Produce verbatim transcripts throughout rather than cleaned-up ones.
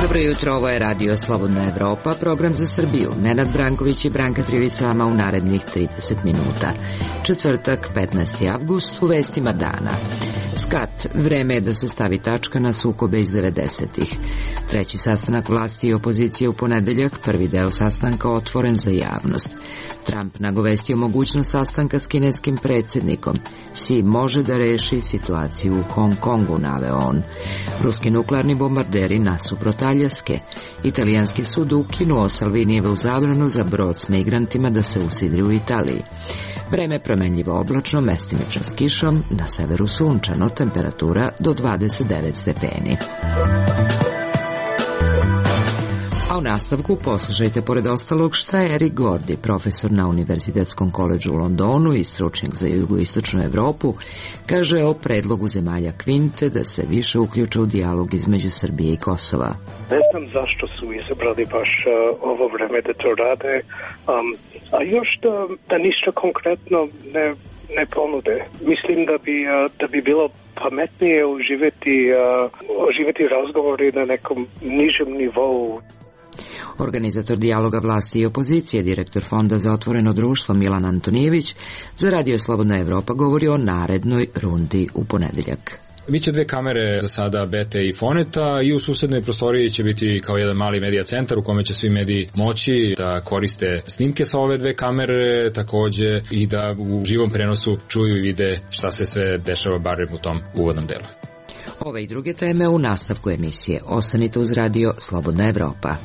Dobro jutro, ovo je Radio Slobodna Evropa, program za Srbiju. Nenad Branković i Branka Trivica vama u narednih trideset minuta. Četvrtak, petnaesti avgust, u vestima dana. Skat, vreme je da se stavi tačka na sukobe iz devedesetih. Treći sastanak vlasti i opozicije u ponedeljak, prvi deo sastanka otvoren za javnost. Trump nagovestio mogućnost sastanka s kineskim predsjednikom. Si može da reši situaciju u Hong Kongu, naveo on. Ruski nuklearni bombarderi nasuprot Aljaske. Italijanski sud ukinuo Salvinijevu zabranu za brod s migrantima da se usidri u Italiji. Vreme promenljivo oblačno, mestimično s kišom, na severu sunčano, temperatura do dvadeset devet stepeni. A u nastavku poslušajte pored ostalog šta je Eric Gordy, profesor na Univerzitetskom koledžu u Londonu i stručnjak za jugoistočnu Evropu, kaže o predlogu zemalja Kvinte da se više uključe u dijalog između Srbije i Kosova. Ne znam zašto su izabrali baš uh, ovo vreme da to rade, um, a još da, da ništa konkretno ne, ne ponude. Mislim da bi, uh, da bi bilo pametnije uživati, uh, uživati razgovori na nekom nižem nivou. Organizator dijaloga vlasti i opozicije, direktor Fonda za otvoreno društvo Milan Antonijević, za Radio Slobodna Evropa govori o narednoj rundi u ponedeljak. Biće dve kamere za sada Bete i Foneta i u susednoj prostoriji će biti kao jedan mali medija centar u kome će svi mediji moći da koriste snimke sa ove dve kamere, takođe i da u živom prenosu čuju i vide šta se sve dešava barem u tom uvodnom delu. Ove i druge teme u nastavku emisije. Ostanite uz Radio Slobodna Evropa.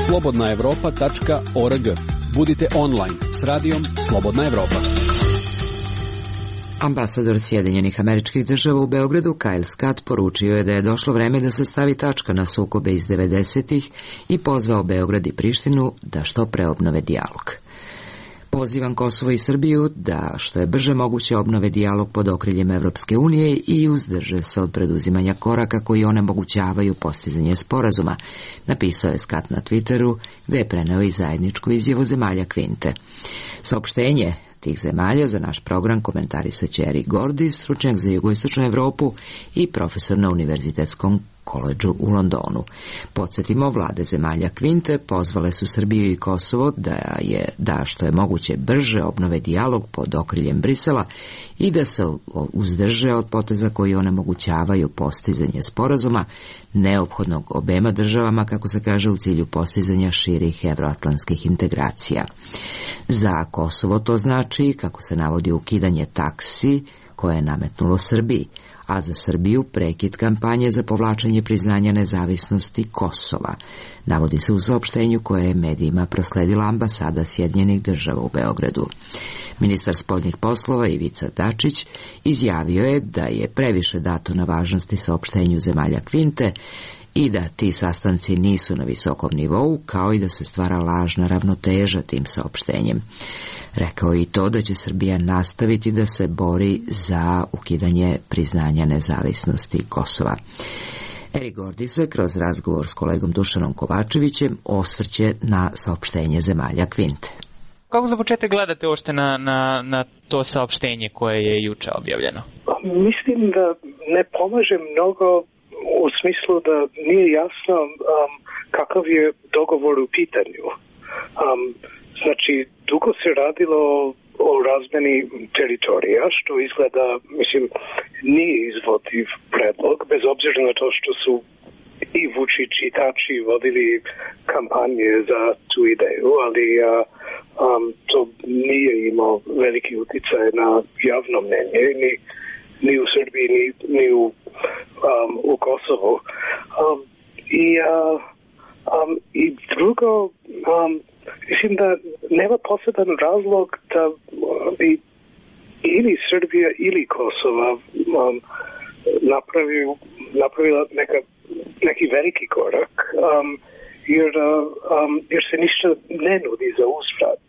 slobodna evropa tačka org. Budite online s radijom Slobodna Evropa. Ambasador Sjedinjenih Američkih Država u Beogradu, Kyle Scott, poručio je da je došlo vreme da se stavi tačka na sukobe iz devedesetih i pozvao Beograd i Prištinu da što pre obnove dijalog. Pozivam Kosovo i Srbiju da što je brže moguće obnove dijalog pod okriljem Evropske unije i uzdrže se od preduzimanja koraka koji onemogućavaju postizanje sporazuma, napisao je Scott na Twitteru, gde je preneo i zajedničku izjavu zemalja Kvinte. Saopštenje tih zemalja za naš program komentarisaće Eric Gordy, stručnjak za jugoistočnu Evropu i profesor na Univerzitetskom koledžu u Londonu. Podsjetimo, vlade zemalja Kvinte pozvale su Srbiju i Kosovo da je da što je moguće brže obnove dijalog pod okriljem Brisela i da se uzdrže od poteza koji onemogućavaju postizanje sporazuma neophodnog obema državama, kako se kaže, u cilju postizanja širih evroatlantskih integracija. Za Kosovo to znači, kako se navodi, ukidanje taksi koje je nametnulo Srbiji, a za Srbiju prekid kampanje za povlačenje priznanja nezavisnosti Kosova, navodi se u saopštenju koje je medijima prosledila ambasada Sjedinjenih Država u Beogradu. Ministar spoljnih poslova Ivica Dačić izjavio je da je previše dato na važnosti saopštenju zemalja Kvinte i da ti sastanci nisu na visokom nivou, kao i da se stvara lažna ravnoteža tim saopštenjem. Rekao je i to da će Srbija nastaviti da se bori za ukidanje priznanja nezavisnosti Kosova. Eric Gordy se kroz razgovor s kolegom Dušanom Kovačevićem osvrće na saopštenje zemalja Kvinte. Kako za početak gledate uopšte na, na, na to saopštenje koje je juče objavljeno? Mislim da ne pomaže mnogo u smislu da nije jasno um, kakav je dogovor u pitanju. Um, znači, dugo se radilo o razmeni teritorija, što izgleda, mislim, nije izvodljiv predlog, bez obzira na to što su i Vučić i Tači vodili kampanje za tu ideju, ali a, um, to nije imao veliki uticaj na javno mnenje, ni, ni u Srbiji, ni, ni u, um, u Kosovu. Um, i, uh, um, I drugo, um, mislim da nema poseban razlog da bi ili Srbija ili Kosova um, napravio, napravila neka, neki veliki korak, um, jer, um, jer se ništa ne nudi za uzvrat.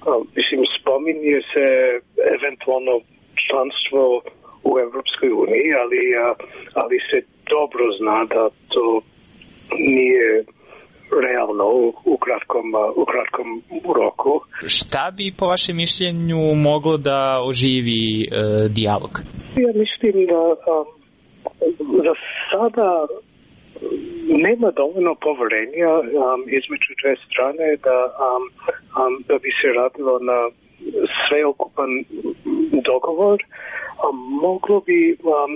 Um, mislim, spominje se eventualno članstvo u Evropskoj uniji, ali, ali se dobro zna da to nije realna ono, u kratkom, u kratkom roku. Šta bi po vašem mišljenju moglo da oživi e, dijalog? Ja mislim da um, za sada nema dovoljno poverenja um, između dve strane da, um, um, da bi se radilo na sveokupan dogovor. Um, moglo bi um,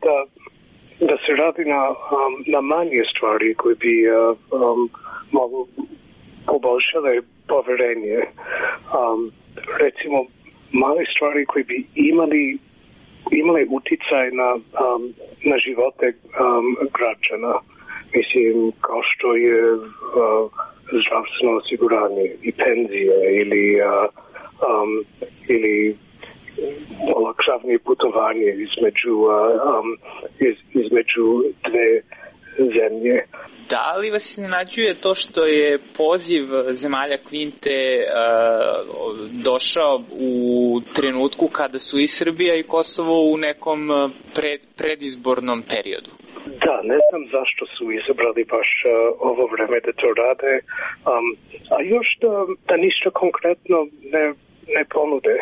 da, da se radi na, um, na manje stvari koje bi uh, um, moglo poboljšale poverenje. Um, recimo, male stvari koje bi imali imale uticaj na, um, na živote um, građana. Mislim, kao što je uh, zdravstveno osiguranje i penzije ili, uh, um, ili olakšavanje putovanje između, uh, um, iz, između dve zemlje. Da li vas iznenađuje to što je poziv zemalja Kvinte uh, došao u trenutku kada su i Srbija i Kosovo u nekom pred, predizbornom periodu? Da, ne znam zašto su izabrali baš uh, ovo vreme da to rade, um, a još da, da ništa konkretno ne, ne ponude.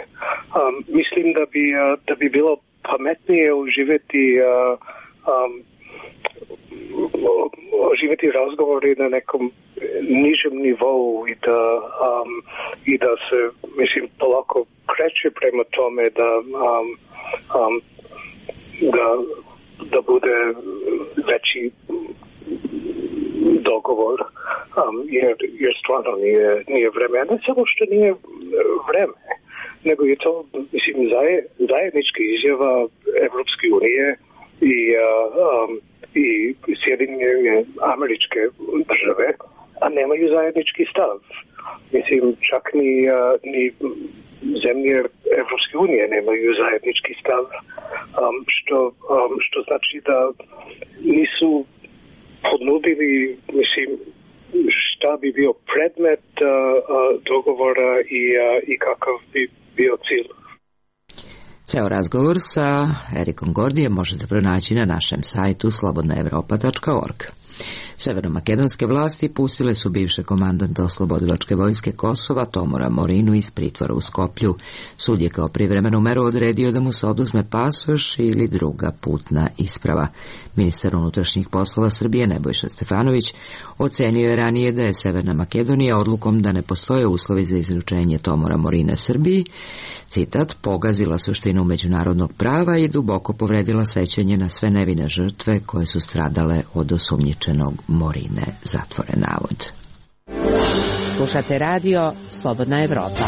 Um, mislim da bi, uh, da bi bilo pametnije uživati uh, um, oživjeti razgovori na nekom nižem nivou i da, um, i da se, mislim, polako kreće prema tome da, um, um, da, da bude veći dogovor, um, jer, jer stvarno nije, nije vreme. Ne samo što nije vreme, nego je to, mislim, zajednička izjava Evropske unije i uh, um, i Sjedinjene Američke Države, a nemaju zajednički stav. Mislim, čak ni, uh, ni zemlje Evropske unije nemaju zajednički stav, um, što, um, što znači da nisu ponudili, mislim, šta bi bio predmet uh, uh, dogovora i, uh, i kakav bi bio cilj. Ceo razgovor sa Erikom Gordijem možete pronaći na našem sajtu slobodna evropa tačka org. Severnomakedonske vlasti pustile su bivše komandanta oslobodilačke vojske Kosova Tomora Morinu iz pritvora u Skoplju. Sud je kao privremenu meru odredio da mu se oduzme pasoš ili druga putna isprava. Ministar unutrašnjih poslova Srbije Nebojša Stefanović ocenio je ranije da je Severna Makedonija odlukom da ne postoje uslovi za izručenje Tomora Morina Srbiji, citat, pogazila suštinu međunarodnog prava i duboko povredila sećanje na sve nevine žrtve koje su stradale od osumnjičenog Morine, zatvoren navod. Slušate radio Slobodna Evropa.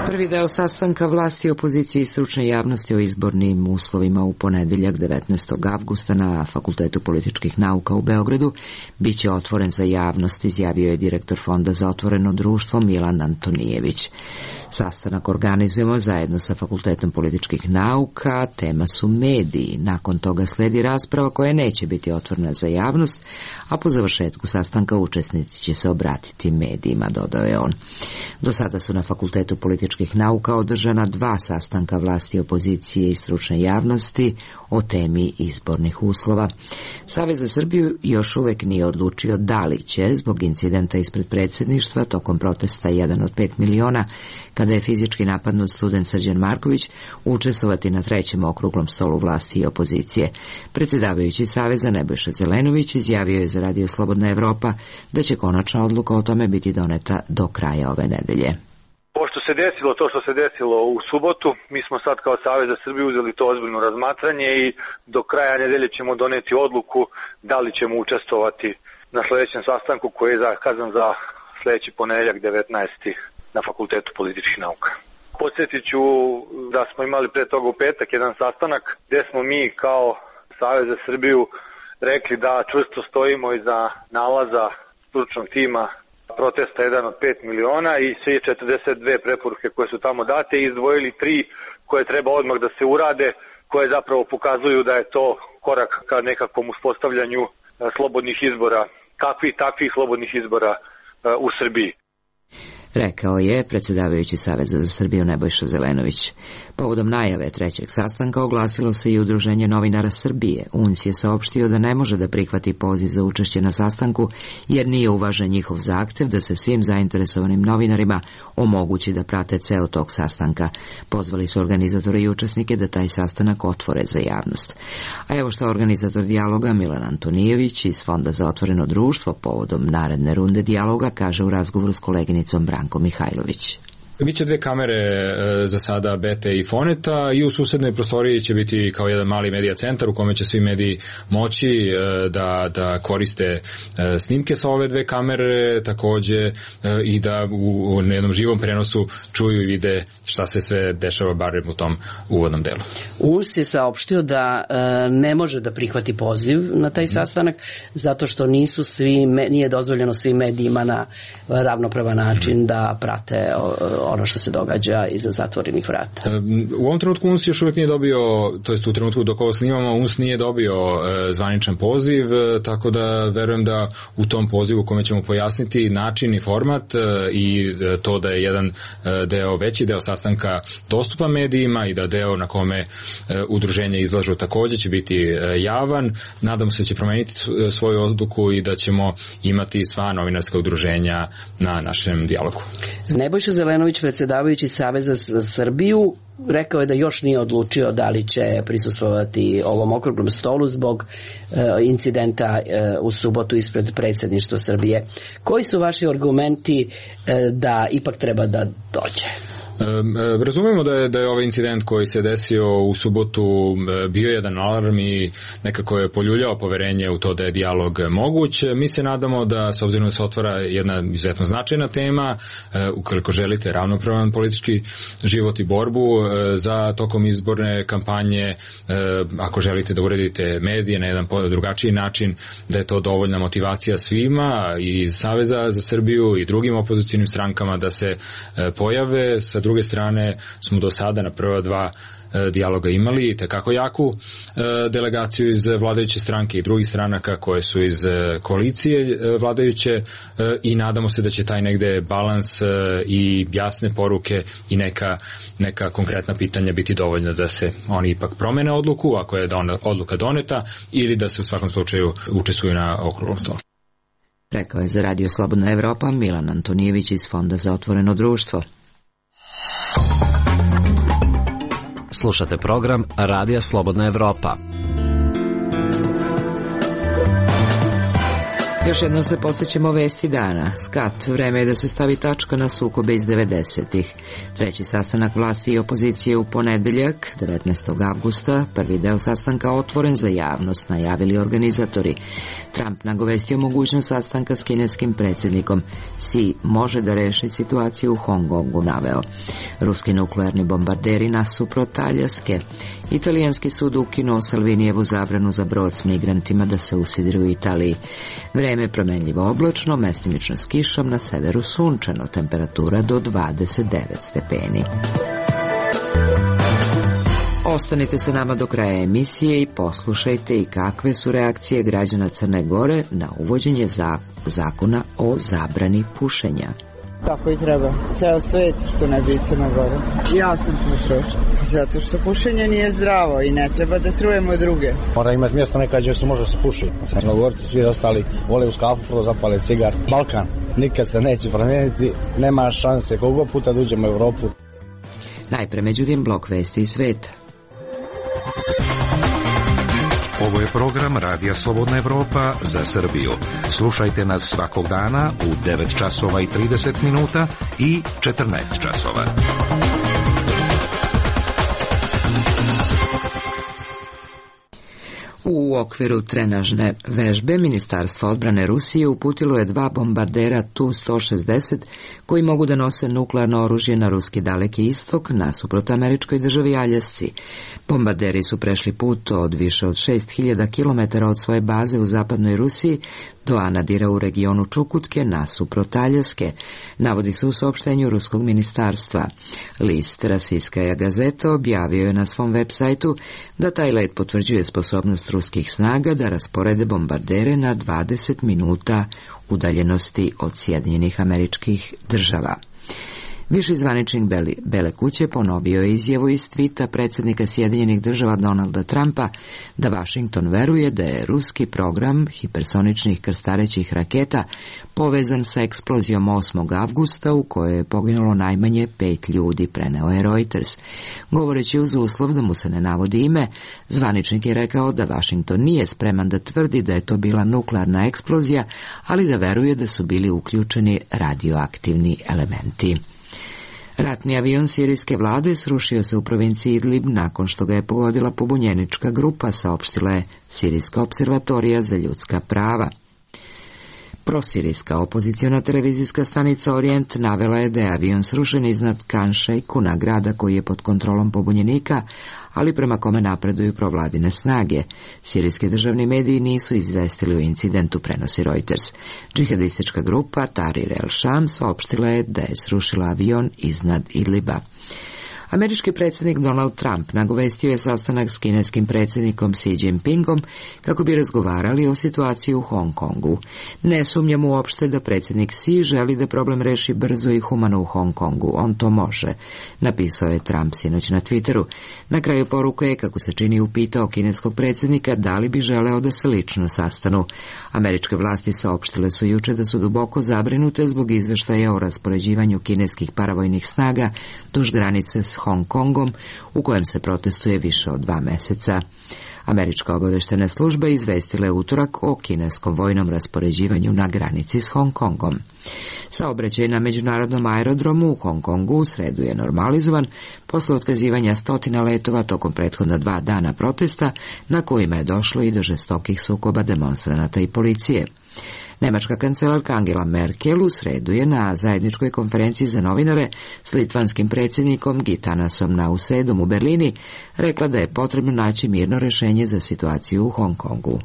Prvi deo sastanka vlasti, opozicije i stručne javnosti o izbornim uslovima u ponedeljak devetnaestog avgusta na Fakultetu političkih nauka u Beogradu biće otvoren za javnost, izjavio je direktor Fonda za otvoreno društvo Milan Antonijević. Sastanak organizujemo zajedno sa Fakultetom političkih nauka, tema su mediji. Nakon toga sledi rasprava koja neće biti otvorena za javnost, a po završetku sastanka učesnici će se obratiti medijima, dodao je on. Do sada su na Fakultetu političkih nauka održana dva sastanka vlasti, opozicije i stručne javnosti o temi izbornih uslova. Savez za Srbiju još uvek nije odlučio da li će, zbog incidenta ispred predsjedništva tokom protesta jedan od pet miliona, kada je fizički napadnut student Srđan Marković, učestvovati na trećem okruglom stolu vlasti i opozicije. Predsjedavajući Saveza Nebojša Zelenović izjavio je za Radio Slobodna Evropa da će konačna odluka o tome biti doneta do kraja ove nedelje. Pošto se desilo to što se desilo u subotu, mi smo sad kao Savez za Srbiju uzeli to ozbiljno razmatranje i do kraja nedelje ćemo doneti odluku da li ćemo učestvovati na sljedećem sastanku koji je zakazan za sljedeći ponedeljak devetnaesti na Fakultetu političkih nauka. Podsjetit ću da smo imali pre toga u petak jedan sastanak gdje smo mi kao Savez za Srbiju rekli da čvrsto stojimo iza nalaza stručnog tima protesta jedan od pet miliona i sve četrdeset dve preporuke koje su tamo date i izdvojili tri koje treba odmah da se urade, koje zapravo pokazuju da je to korak ka nekakvom uspostavljanju slobodnih izbora, kakvih takvih slobodnih izbora u Srbiji. rekao je predsjedavajući Saveza za Srbiju Nebojša Zelenović. Povodom najave trećeg sastanka oglasilo se i Udruženje novinara Srbije. U N S je saopštio da ne može da prihvati poziv za učešće na sastanku jer nije uvažen njihov zahtev da se svim zainteresovanim novinarima omogući da prate ceo tok sastanka. Pozvali su organizatore i učesnike da taj sastanak otvore za javnost. A evo šta organizator dijaloga Milan Antonijević iz Fonda za otvoreno društvo povodom naredne runde dijaloga kaže u razgovoru s koleginicom Brankom Mihajlović. Biće dve kamere e, za sada Bete i Foneta i u susednoj prostoriji će biti kao jedan mali medija centar u kome će svi mediji moći e, da, da koriste e, snimke sa ove dve kamere, takođe e, i da u, u jednom živom prenosu čuju i vide šta se sve dešava barem u tom uvodnom delu. U N S je saopštio da e, ne može da prihvati poziv na taj sastanak zato što nisu svi, nije dozvoljeno svim medijima na ravnopravan način da prate o, ono što se događa iza zatvorenih vrata. U ovom trenutku U N S još uvijek nije dobio, to jest u trenutku dok ovo snimamo, U N S nije dobio e, zvaničan poziv, e, tako da verujem da u tom pozivu kome ćemo pojasniti način i format e, i e, to da je jedan e, deo, veći deo sastanka dostupan medijima i da deo na kome e, udruženja izlažu takođe će biti e, javan. Nadam se da će promeniti svoju odluku i da ćemo imati sva novinarska udruženja na našem dijalogu. Nebojša Zelenović, predsjedavajući Saveza za Srbiju, rekao je da još nije odlučio da li će prisustvovati ovom okruglom stolu zbog e, incidenta e, u subotu ispred predsjedništva Srbije. Koji su vaši argumenti e, da ipak treba da dođe? Razumemo da je, da je ovaj incident koji se desio u subotu bio jedan alarm i nekako je poljuljao poverenje u to da je dijalog moguć. Mi se nadamo da, s obzirom da se otvara jedna izuzetno značajna tema, ukoliko želite ravnopravan politički život i borbu za tokom izborne kampanje, ako želite da uredite medije na jedan drugačiji način, da je to dovoljna motivacija svima i Saveza za Srbiju i drugim opozicijnim strankama da se pojave. Sa druge strane smo do sada na prva dva e, dijaloga imali tekako jaku e, delegaciju iz vladajuće stranke i drugih stranaka koje su iz e, koalicije e, vladajuće e, i nadamo se da će taj negde balans e, i jasne poruke i neka, neka konkretna pitanja biti dovoljna da se oni ipak promene odluku ako je don, odluka doneta ili da se u svakom slučaju učestvuju na okruglom stolu. Rekao je za Radio Slobodna Evropa Milan Antonijević iz Fonda za otvoreno društvo. Slušate program Radija Slobodna Evropa. Još jednom se podsjećamo vesti dana. Skat, vreme je da se stavi tačka na sukobe iz devedesetih. Treći sastanak vlasti i opozicije u ponedeljak, devetnaestog avgusta, prvi deo sastanka otvoren za javnost, najavili organizatori. Trump nagovestio mogućnost sastanka s kineskim predsjednikom. Si može da reši situaciju u Hong Kongu, naveo. Ruski nuklearni bombarderi nasuprot Aljaske. Italijanski sud ukinuo Salvinijevu zabranu za brod s migrantima da se usidri u Italiji. Vreme je promenljivo oblačno, mestimično s kišom, na severu sunčano, temperatura do dvadeset devet stepeni. Ostanite sa nama do kraja emisije i poslušajte i kakve su reakcije građana Crne Gore na uvođenje zakona o zabrani pušenja. Tako i treba. Ceo svet što ne bi Crna Gora. Ja sam pušač. Zato što pušenje nije zdravo i ne treba da trujemo druge. Mora imati mjesto neka gdje se može se puši. Crnogorci svi ostali vole uz kafu prvo zapale cigar. Balkan nikad se neće promijeniti. Nema šanse koliko puta da uđemo u Evropu. Najpre međutim blok vesti iz sveta. Ovo je program Radija Slobodna Evropa za Srbiju. Slušajte nas svakog dana u devet časova i trideset minuta i četrnaest časova. U okviru trenažne vežbe Ministarstvo odbrane Rusije uputilo je dva bombardera Tu sto šezdeset koji mogu da nose nuklearno oružje na ruski Daleki istok nasuprot američkoj državi Aljasci. Bombarderi su prešli put od više od šest hiljada kilometara od svoje baze u zapadnoj Rusiji do Anadira u regionu Čukutke nasuprot Aljaske, navodi se u saopštenju ruskog ministarstva. List Rasijskaja gazeta objavio je na svom web sajtu da taj let potvrđuje sposobnost ruskih snaga da rasporede bombardere na dvadeset minuta udaljenosti od Sjedinjenih Američkih Država. Viši zvaničnik Bele, Bele kuće ponovio je izjavu iz tvita predsjednika Sjedinjenih država Donalda Trumpa da Washington veruje da je ruski program hipersoničnih krstarećih raketa povezan sa eksplozijom osmog avgusta u kojoj je poginulo najmanje pet ljudi, preneo je Reuters. Govoreći uz uslov da mu se ne navodi ime, zvaničnik je rekao da Washington nije spreman da tvrdi da je to bila nuklearna eksplozija, ali da veruje da su bili uključeni radioaktivni elementi. Ratni avion sirijske vlade srušio se u provinciji Idlib nakon što ga je pogodila pobunjenička grupa, saopštila je Sirijska observatorija za ljudska prava. Prosirijska opoziciona televizijska stanica Orient navela je da je avion srušen iznad Kan Šejkuna, grada koji je pod kontrolom pobunjenika, ali prema kome napreduju provladine snage. Sirijski državni mediji nisu izvestili o incidentu, prenosi Reuters. Džihadistička grupa Tahrir el-Sham saopštila je da je srušila avion iznad Idliba. Američki predsjednik Donald Trump nagovestio je sastanak s kineskim predsjednikom Xi Jinpingom kako bi razgovarali o situaciji u Hong Kongu. Ne sumnjam uopšte da predsjednik Xi želi da problem reši brzo i humano u Hong Kongu. On to može, napisao je Trump sinoć na Twitteru. Na kraju poruke je, kako se čini, upitao kineskog predsjednika da li bi želeo da se lično sastanu. Američke vlasti saopštile su juče da su duboko zabrinute zbog izveštaja o raspoređivanju kineskih paravojnih snaga duž granice s Hong Kongom, u kojem se protestuje više od dva meseca. Američka obaveštena služba izvestila je utorak o kineskom vojnom raspoređivanju na granici s Hong Kongom. Saobraćaj na međunarodnom aerodromu u Hong Kongu u sredu je normalizovan posle otkazivanja stotina letova tokom prethodna dva dana protesta, na kojima je došlo i do žestokih sukoba demonstranata i policije. Nemačka kancelarka Angela Merkel u sredu je na zajedničkoj konferenciji za novinare s litvanskim predsjednikom Gitanasom Nausėdom u Berlini rekla da je potrebno naći mirno rješenje za situaciju u Hong Kongu.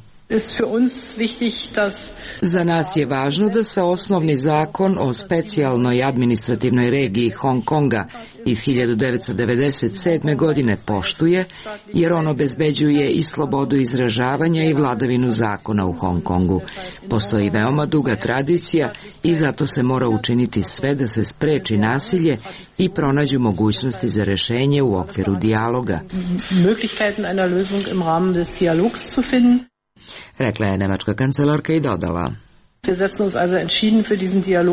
Za nas je važno da se osnovni zakon o specijalnoj administrativnoj regiji Hong Konga iz hiljadu devetsto devedeset sedme. godine poštuje, jer on obezbeđuje i slobodu izražavanja i vladavinu zakona u Hong Kongu. Postoji veoma duga tradicija i zato se mora učiniti sve da se spreči nasilje i pronađu mogućnosti za rješenje u okviru dijaloga. Rekla je nemačka kancelarka i dodala: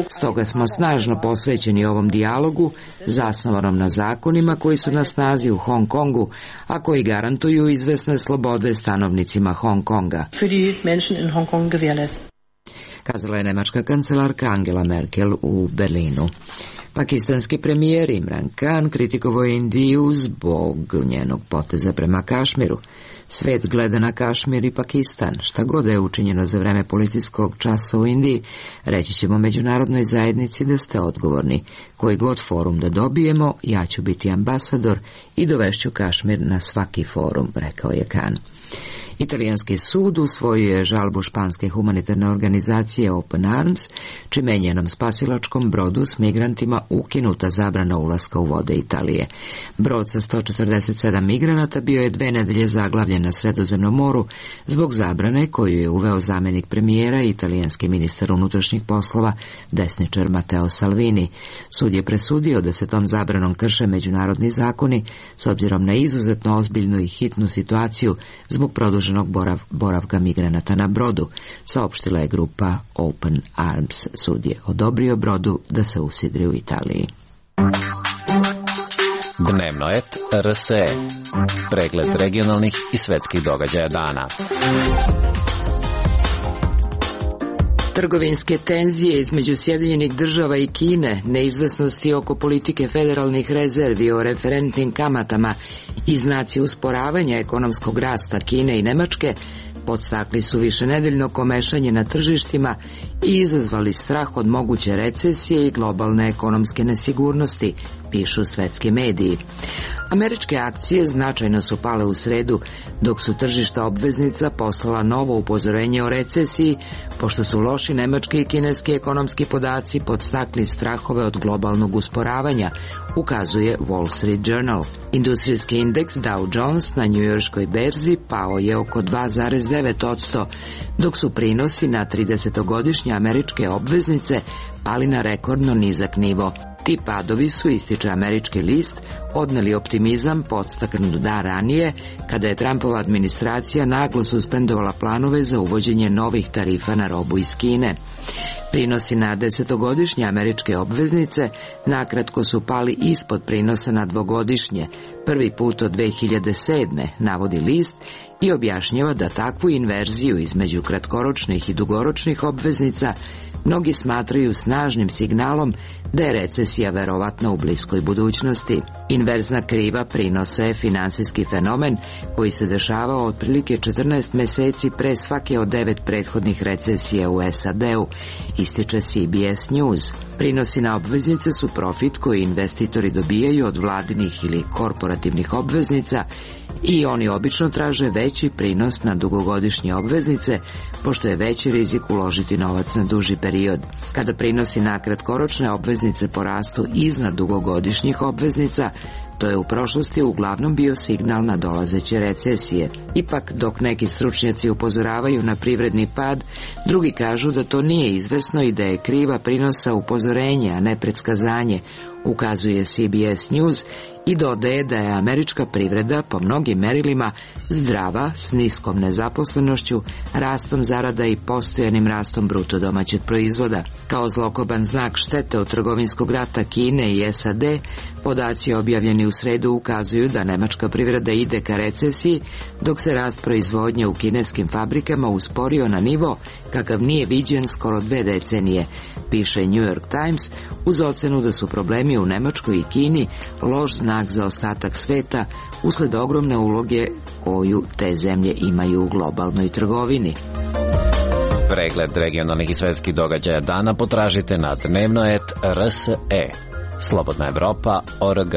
Stoga smo snažno posvećeni ovom dijalogu, zasnovanom na zakonima koji su na snazi u Hong Kongu, a koji garantuju izvesne slobode stanovnicima Hong Konga. Kazala je nemačka kancelarka Angela Merkel u Berlinu. Pakistanski premijer Imran Khan kritikovao je Indiju zbog njenog poteza prema Kašmiru. Svet gleda na Kašmir i Pakistan. Šta god je učinjeno za vreme policijskog časa u Indiji, reći ćemo međunarodnoj zajednici da ste odgovorni. Koji god forum da dobijemo, ja ću biti ambasador i dovešću Kašmir na svaki forum, rekao je Khan. Italijanski sud usvojio je žalbu španske humanitarne organizacije Open Arms, čime je njenom spasilačkom brodu s migrantima ukinuta zabrana ulaska u vode Italije. Brod sa sto četrdeset sedam migranata bio je dve nedelje zaglavljen na Sredozemnom moru zbog zabrane koju je uveo zamjenik premijera i italijanski ministar unutrašnjih poslova, desničar Matteo Salvini. Sud je presudio da se tom zabranom krše međunarodni zakoni s obzirom na izuzetno ozbiljnu i hitnu situaciju zbog produženog borav, boravka migranata na brodu, saopštila je grupa Open Arms. Sud je odobrio brodu da se usidri u Italiji. Dnevno et R S E. Pregled regionalnih i svetskih događaja dana. Trgovinske tenzije između Sjedinjenih država i Kine, neizvesnosti oko politike federalnih rezervi o referentnim kamatama i znaci usporavanja ekonomskog rasta Kine i Nemačke podstakli su višenedeljno komešanje na tržištima i izazvali strah od moguće recesije i globalne ekonomske nesigurnosti, pišu svetski mediji. Američke akcije značajno su pale u sredu, dok su tržišta obveznica poslala novo upozorenje o recesiji, pošto su loši nemački i kineski ekonomski podaci podstakli strahove od globalnog usporavanja, ukazuje Wall Street Journal. Industrijski indeks Dow Jones na njujorškoj berzi pao je oko dva zarez devet posto, dok su prinosi na tridesetogodišnje američke obveznice pali na rekordno nizak nivo. Ti padovi su, ističe američki list, odneli optimizam podstaknut dan ranije, kada je Trumpova administracija naglo suspendovala planove za uvođenje novih tarifa na robu iz Kine. Prinosi na desetogodišnje američke obveznice nakratko su pali ispod prinosa na dvogodišnje, prvi put od dve hiljade sedme, navodi list, i objašnjava da takvu inverziju između kratkoročnih i dugoročnih obveznica mnogi smatraju snažnim signalom da je recesija verovatno u bliskoj budućnosti. Inverzna kriva prinosa je finansijski fenomen koji se dešavao otprilike četrnaest meseci pre svake od devet prethodnih recesija u S A D-u, ističe C B S News. Prinosi na obveznice su profit koji investitori dobijaju od vladinih ili korporativnih obveznica i oni obično traže veći prinos na dugogodišnje obveznice, pošto je veći rizik uložiti novac na duži period. Kada prinosi na kratkoročne obveznice porastu iznad dugogodišnjih obveznica, to je u prošlosti uglavnom bio signal na dolazeće recesije. Ipak, dok neki stručnjaci upozoravaju na privredni pad, drugi kažu da to nije izvesno i da je kriva prinosa upozorenje, a ne predskazanje, ukazuje C B S News i dodaje da je američka privreda po mnogim merilima zdrava, s niskom nezaposlenošću, rastom zarada i postojanim rastom bruto domaćeg proizvoda. Kao zlokoban znak štete od trgovinskog rata Kine i S A D, podaci objavljeni u sredu ukazuju da nemačka privreda ide ka recesiji, dok se rast proizvodnje u kineskim fabrikama usporio na nivo kakav nije viđen skoro dve decenije, piše New York Times, uz ocenu da su problemi u Nemačkoj i Kini loš znak za ostatak sveta usled ogromne uloge koju te zemlje imaju u globalnoj trgovini. Pregled regionalnih i svetskih događaja dana potražite na dnevnoet R S E. Slobodna Evropa точка org.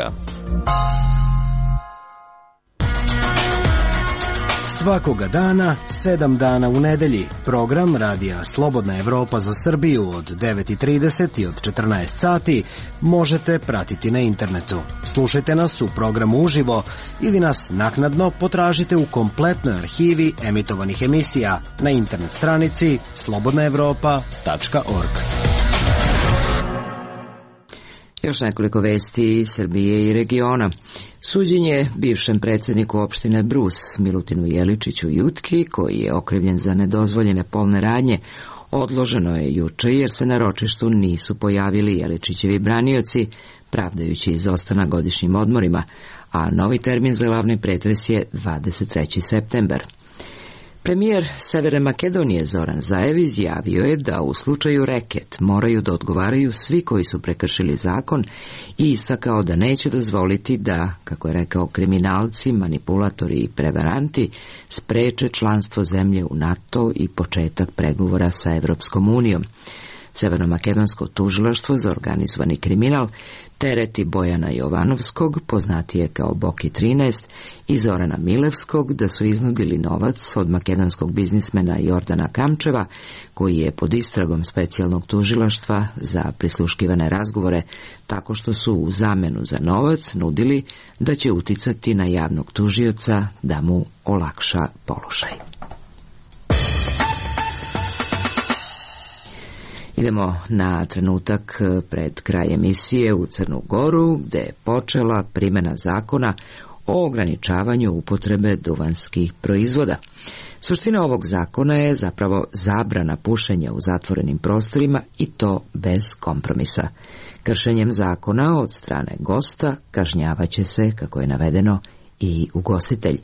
Svakoga dana, sedam dana u nedelji, program radija Slobodna Evropa za Srbiju od devet i trideset i od četrnaest sati možete pratiti na internetu. Slušajte nas u programu uživo ili nas naknadno potražite u kompletnoj arhivi emitovanih emisija na internet stranici slobodna evropa tačka org. Još nekoliko vesti iz Srbije i regiona. Suđenje bivšem predsjedniku opštine Brus, Milutinu Jeličiću Jutki, koji je okrivljen za nedozvoljene polne radnje, odloženo je juče jer se na ročištu nisu pojavili Jeličićevi branioci, pravdajući izostanak godišnjim odmorima, a novi termin za glavni pretres je dvadeset treći septembar. Premijer Severne Makedonije Zoran Zaev izjavio je da u slučaju reket moraju da odgovaraju svi koji su prekršili zakon i istakao da neće dozvoliti da, kako je rekao, kriminalci, manipulatori i prevaranti spreče članstvo zemlje u NATO i početak pregovora sa Evropskom unijom. Severnomakedonsko tužilaštvo za organizovani kriminal tereti Bojana Jovanovskog, poznatije kao Boki trinaest, i Zorana Milevskog da su iznudili novac od makedonskog biznismena Jordana Kamčeva, koji je pod istragom specijalnog tužilaštva za prisluškivane razgovore, tako što su u zamenu za novac nudili da će uticati na javnog tužioca da mu olakša položaj. Idemo na trenutak pred kraj emisije u Crnu Goru, gde je počela primjena zakona o ograničavanju upotrebe duvanskih proizvoda. Suština ovog zakona je zapravo zabrana pušenja u zatvorenim prostorima i to bez kompromisa. Kršenjem zakona od strane gosta kažnjavaće se, kako je navedeno, i ugostitelj.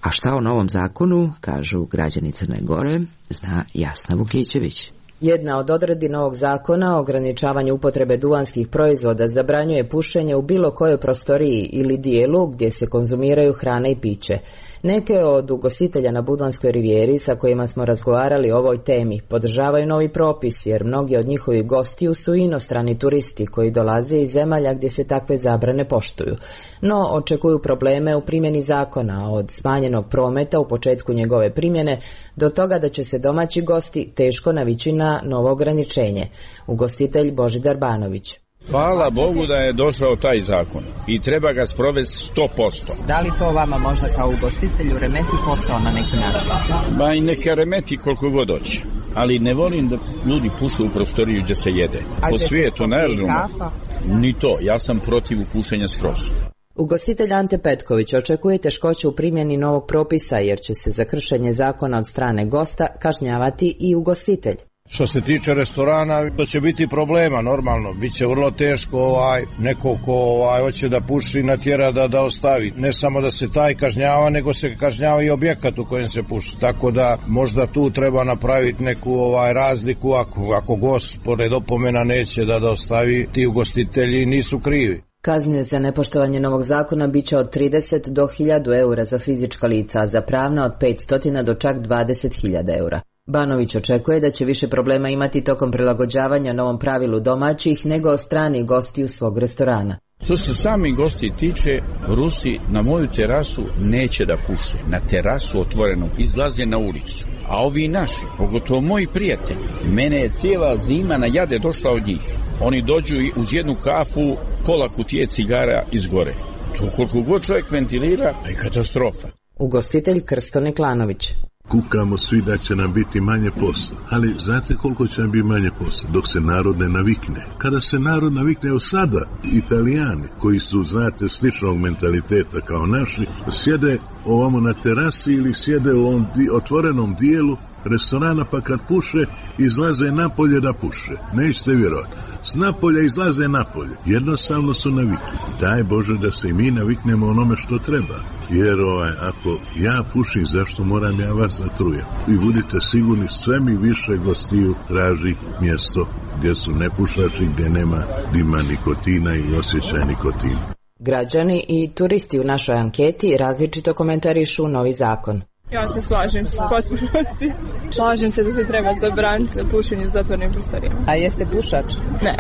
A šta o novom zakonu, kažu građani Crne Gore, zna Jasna Vukićević. Jedna od odredbi novog zakona o ograničavanju upotrebe duvanskih proizvoda zabranjuje pušenje u bilo kojoj prostoriji ili dijelu gdje se konzumiraju hrana i piće. Neke od ugostitelja na Budvanskoj rivijeri sa kojima smo razgovarali o ovoj temi podržavaju novi propis jer mnogi od njihovih gostiju su inostrani turisti koji dolaze iz zemalja gdje se takve zabrane poštuju. No, očekuju probleme u primjeni zakona od smanjenog prometa u početku njegove primjene do toga da će se domaći gosti teško navići na novo ograničenje. Ugostitelj Božidar Banović. Hvala Bogu da je došao taj zakon i treba ga sprovesti sto posto. Da li to vama možda kao ugostitelju remeti posao na neki način? Ba i neka remeti koliko god hoće. Ali ne volim da ljudi pušu u prostoriju gdje se jede. A po svijetu, naravno, ni to. Ja sam protiv pušenja skroz. Ugostitelj Ante Petković očekuje teškoće u primjeni novog propisa jer će se za kršenje zakona od strane gosta kažnjavati i ugostitelj. Što se tiče restorana, to će biti problema, normalno. Biće vrlo teško ovaj, neko ko ovaj, hoće da puši natjera da, da ostavi. Ne samo da se taj kažnjava, nego se kažnjava i objekat u kojem se puši. Tako da možda tu treba napraviti neku ovaj, razliku. Ako, ako gost pored opomena neće da, da ostavi, ti ugostitelji nisu krivi. Kazne za nepoštovanje novog zakona biće od trideset do hiljadu eura za fizička lica, a za pravna od petsto do čak dvadeset hiljada eura. Banović očekuje da će više problema imati tokom prilagođavanja novom pravilu domaćih nego strani gostiju svog restorana. Što se sami gosti tiče, Rusi na moju terasu neće da puše. Na terasu otvorenu izlaze na ulicu. A ovi naši, pogotovo moji prijatelji, mene je cijela zima na jade došla od njih. Oni dođu uz jednu kafu, pola kutije cigara izgore. To koliko god čovjek ventilira, je katastrofa. Ugostitelj Krsto Neklanović. Kukamo svi da će nam biti manje posla, ali znate koliko će nam biti manje posla? Dok se narod ne navikne. Kada se narod navikne, evo sada, Italijani, koji su, znate, sličnog mentaliteta kao naši, sjede ovamo na terasi ili sjede u ovom di, otvorenom dijelu restorana, pa kad puše, izlaze napolje da puše. Nećete vjerovati. S napolja izlaze napolje. Jednostavno su navikli. Daj Bože da se i mi naviknemo onome što treba. Jer ovaj, ako ja pušim, zašto moram ja vas zatrujem? I budite sigurni, sve mi više gostiju traži mjesto gdje su nepušači, gdje nema dima nikotina i osjećaj nikotina. Građani i turisti u našoj anketi različito komentarišu novi zakon. Ja se slažem s potpunosti. Slažem se da se treba zabraniti pušenje u zatvornim prostorijama. A jeste pušač? Ne.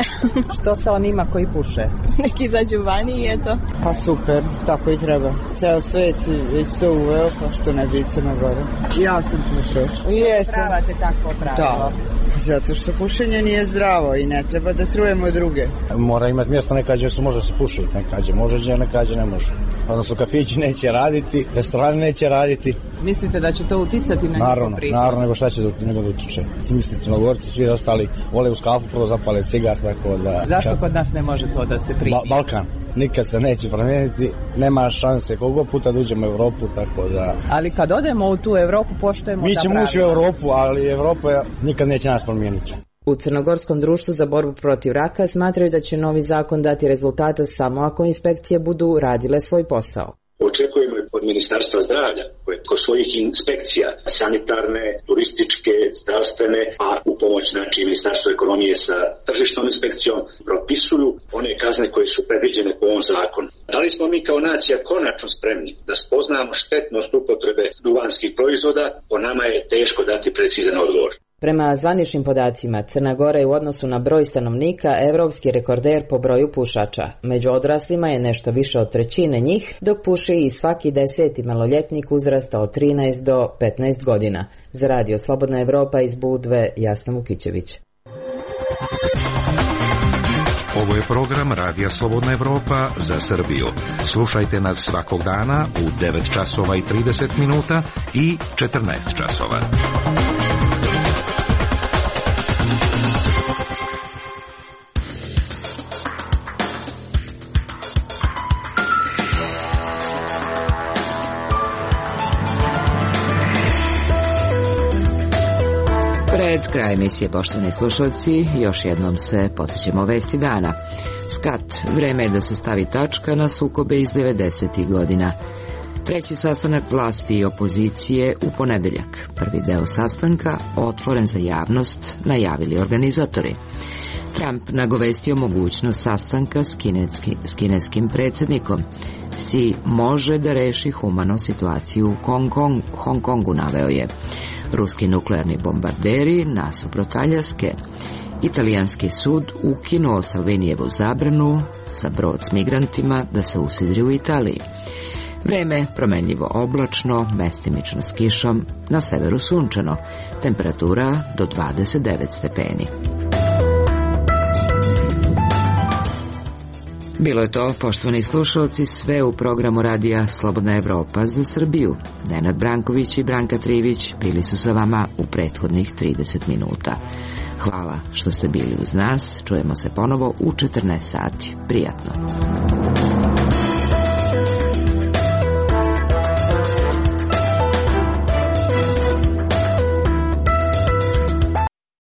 Što sa onima koji puše? Neki izađu vani i eto. Pa super, tako i treba. Ceo svet već to uveo, pa što ne bi Crna Gora. Ja sam pušač. Jesam. Pravate takvo pravilo? Da. Zato što pušenje nije zdravo i ne treba da trujemo druge. Mora imati mjesto nekađe se može se pušiti, nekađe može, nekađe ne može. Odnosno kafići neće raditi, restorani neće raditi. Mislite da će to uticati na naravno, njihov prihod? Naravno, nego šta će da, nego da utiče. Mislim, Crnogorci, svi ostali vole uz kafu, prvo zapale cigar, tako da... Zašto kad... kod nas ne može to da se primi? Ba- Balkan. Nikad se neće promijeniti, nema šanse koliko puta da uđemo u Evropu, tako da... Ali kad odemo u tu Evropu, poštujemo Mi ta ćemo ući u Evropu, ali Evropa nikad neće nas promijeniti. U Crnogorskom društvu za borbu protiv raka smatraju da će novi zakon dati rezultata samo ako inspekcije budu radile svoj posao. Očekujemo od Ministarstva zdravlja, koje kod svojih inspekcija, sanitarne, turističke, zdravstvene, a u pomoć znači Ministarstvo ekonomije sa tržišnom inspekcijom, propisuju one kazne koje su predviđene po ovom zakonu. Da li smo mi kao nacija konačno spremni da spoznamo štetnost upotrebe duvanskih proizvoda? Po nama je teško dati precizan odgovor. Prema zvaničnim podacima, Crna Gora je u odnosu na broj stanovnika evropski rekorder po broju pušača. Među odraslima je nešto više od trećine njih, dok puši i svaki deseti maloljetnik uzrasta od trinaest do petnaest godina. Za Radio Slobodna Evropa iz Budve, Jasna Vukićević. Ovo je program Radija Slobodna Evropa za Srbiju. Slušajte nas svakog dana u devet časova i trideset minuta i četrnaest časova. Pred kraj emisije, poštovani slušalci, još jednom se podsjećamo vesti dana. Skat, vreme je da se stavi tačka na sukobe iz devedesetih godina. Treći sastanak vlasti i opozicije u ponedeljak. Prvi deo sastanka otvoren za javnost, najavili organizatori. Trump nagovestio mogućnost sastanka s, kineski, s kineskim predsjednikom. Si može da reši humano situaciju u Hong, Kong, Hong Kongu, naveo je. Ruski nuklearni bombarderi nasuprot Aljaske. Italijanski sud ukinuo Salvinijevu zabranu za brod s migrantima da se usidri u Italiji. Vreme promenljivo oblačno, mestimično s kišom, na severu sunčano. Temperatura do dvadeset devet stepeni. Bilo je to, poštovani slušalci, sve u programu radija Slobodna Evropa za Srbiju. Nenad Branković i Branka Trivić bili su sa vama u prethodnih trideset minuta. Hvala što ste bili uz nas, čujemo se ponovo u četrnaest sati. Prijatno.